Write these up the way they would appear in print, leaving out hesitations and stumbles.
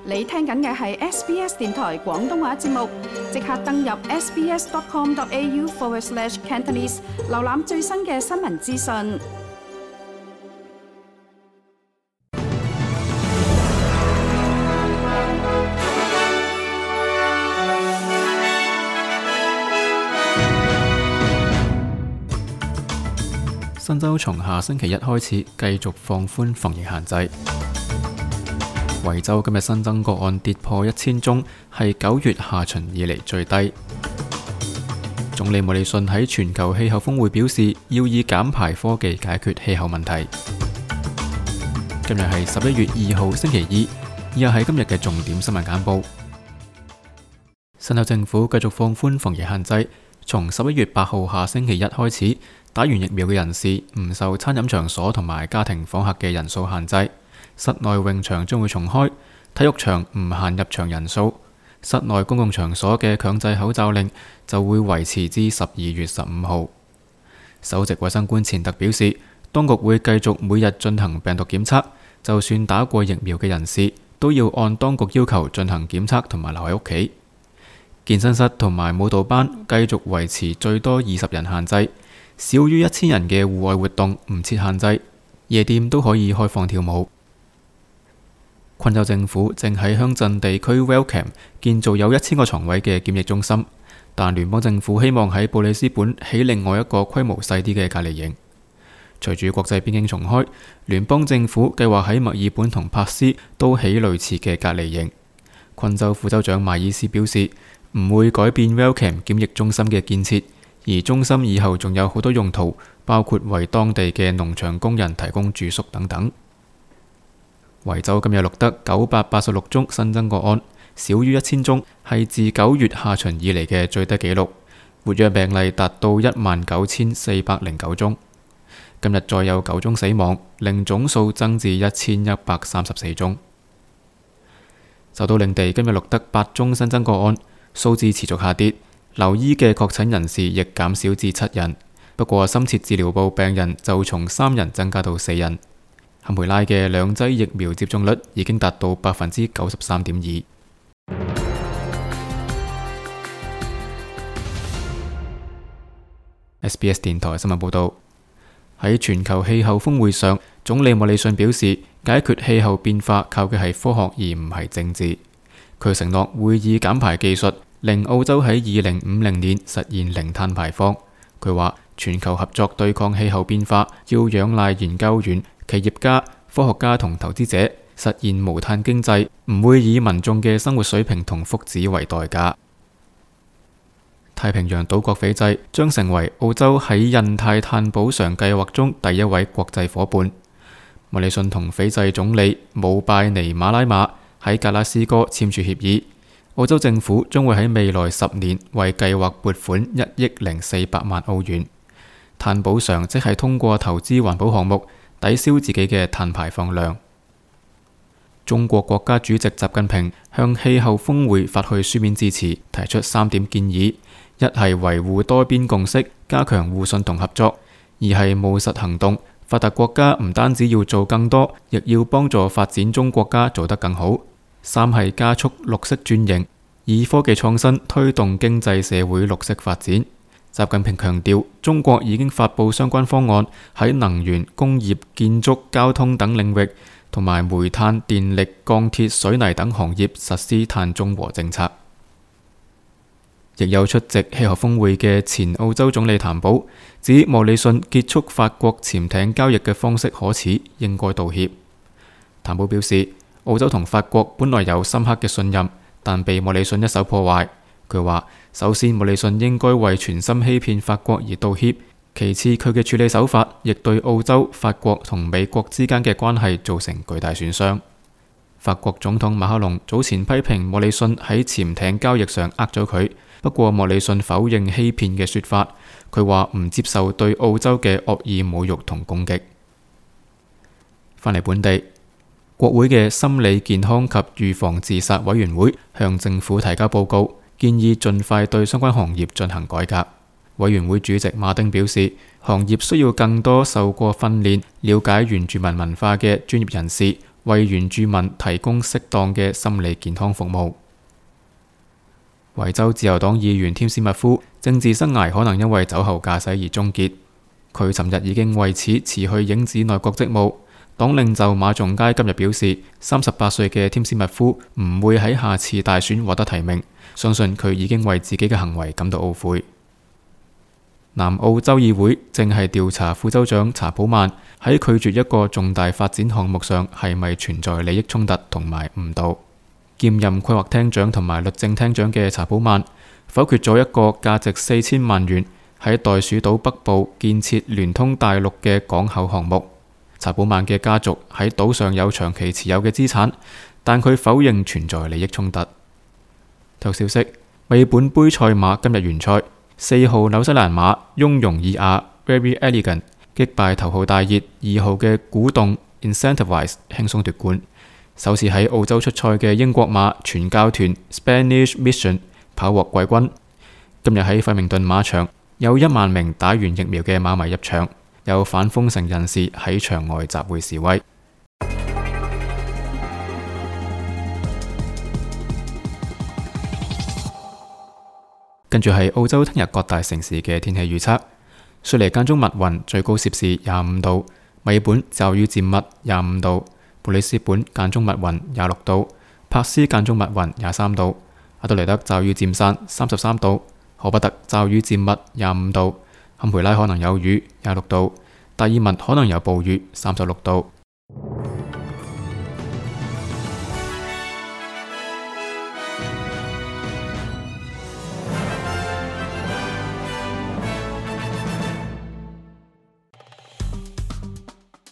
你聽緊嘅係 SBS 電台廣東話節目，即刻登入 sbs.com.au/Cantonese 瀏覽最新嘅新聞資訊。新州從下星期一開始繼續放寬防疫限制。維州今日新增個案跌破1000宗，係9月下旬以嚟最低。總理莫里遜喺全球氣候峰會表示，要以減排科技解決氣候問題。今日係11月2號星期二，以下係今日嘅重點新聞簡報。新州政府繼續放寬防疫限制，從11月8號下星期一開始，打完疫苗嘅人士唔受餐飲場所同埋家庭訪客嘅人數限制。室內泳場將會重開，體育場唔限入場人數。室內公共場所嘅強制口罩令就會維持至12月15號。首席衛生官錢特表示，當局會繼續每日進行病毒檢測，就算打過疫苗嘅人士都要按當局要求進行檢測同埋留喺屋企。健身室同埋舞蹈班繼續維持最多20人限制，少於1000人嘅戶外活動唔設限制，夜店都可以開放跳舞。昆州政府正喺鄉鎮地區 Wellcome 建造有1000個床位嘅檢疫中心，但聯邦政府希望喺布里斯本起另外一個規模細啲嘅隔離營。隨住國際邊境重開，聯邦政府計劃喺墨爾本同珀斯都起類似嘅隔離營。昆州副州長邁爾斯表示，唔會改變 Wellcome 檢疫中心嘅建設，而中心以後仲有好多用途，包括為當地嘅農場工人提供住宿等等。維州今日錄得986宗新增個案，少於1000宗，係自9月下旬以嚟嘅最低紀錄。活躍病例達到19409宗。今日再有9宗死亡，令總數增至1134宗。首都領地今日錄得8宗新增個案，數字持續下跌。留醫嘅確診人士亦減少至7人，不過深切治療部病人就從3人增加到4人。堪培拉嘅2劑疫苗接種率已經達到93.2%。SBS 電台新聞報道，喺全球氣候峰會上，總理莫里遜表示，解決氣候變化靠嘅係科學而唔係政治。佢承諾會以減排技術令澳洲喺2050年實現零碳排放。佢話全球合作對抗氣候變化要仰賴研究員、企業家、科學家同投資者，實現無碳經濟，唔會以民眾嘅生活水平同福祉為代價。太平洋島國斐濟將成為澳洲喺印太碳補償計劃中第一位國際夥伴。莫里遜同斐濟總理姆拜尼馬拉馬喺格拉斯哥簽署協議，澳洲政府將會喺未來10年為計劃撥款1億0400萬澳元。碳補償即係通過投資環保項目抵消自己嘅碳排放量。中國國家主席習近平向氣候峰會發去書面致辭，提出3點建議：一係維護多邊共識，加強互信同合作；二係務實行動，發達國家唔單止要做更多，亦要幫助發展中國家做得更好；三係加速綠色轉型，以科技創新推動經濟社會綠色發展。習近平強調，中國已經發布相關方案，喺能源、工業、建築、交通等領域，同埋煤炭、電力、鋼鐵、水泥等行業實施碳中和政策。亦有出席氣候峰會嘅前澳洲總理譚寶指，莫里遜結束法國潛艇交易嘅方式可恥，應該道歉。譚寶表示，澳洲同法國本來有深刻嘅信任，但被莫里遜一手破壞。佢話，首先莫里遜應該為全心欺騙法國而道歉，其次佢嘅處理手法亦對澳洲、法國同美國之間嘅關係造成巨大損傷。法國總統馬克龍早前批評莫里遜喺潛艇交易上呃咗佢，不過莫里遜否認欺騙嘅說法，佢話唔接受對澳洲嘅惡意侮辱同攻擊。返嚟本地，國會嘅心理健康及預防自殺委員會向政府提交報告，建議盡快對相關行業進行改革。委員會主席馬丁表示，行業需要更多受過訓練、了解原住民文化嘅專業人士，為原住民提供適當嘅心理健康服務。維州自由黨議員添斯密夫政治生涯可能因為酒後駕駛而終結，佢尋日已經為此辭去影子內閣職務。黨領袖馬仲街今日表示，38歲嘅添斯密夫唔會喺下次大選獲得提名，相信佢已經為自己嘅行為感到懊悔。南澳州議會正係調查副州長查普曼喺拒絕一個重大發展項目上係咪存在利益衝突同埋誤導。兼任規劃廳長同埋律政廳長嘅查普曼否決咗一個價值4000萬元喺袋鼠島北部建設聯通大陸嘅港口項目。查普曼嘅家族喺島上有長期持有嘅資產，但佢否認存在利益衝突。體育消息：墨爾本杯賽馬今日完賽，4號紐西蘭馬雍容爾雅 Very Elegant 擊敗頭號大熱2號嘅鼓動 Incentivize 輕鬆奪冠。首次喺澳洲出賽嘅英國馬傳教團 Spanish Mission 跑獲季軍。今日喺費明頓馬場有1萬名打完疫苗嘅馬迷入場，有反封城人士喺場外集會示威。跟住係澳洲聽日各大城市嘅天氣預測：雪梨間中密雲，最高攝氏25度；墨爾本驟雨漸密25度；布里斯本間中密雲26度；珀斯間中密雲23度；阿德萊德驟雨漸散33度；荷伯特驟雨漸密25度；坎培拉可能有雨26度；達爾文可能有暴雨36度。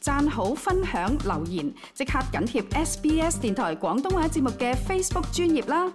讚好、分享、留言，即刻緊貼SBS 電台廣東話節目嘅 Facebook 專頁啦！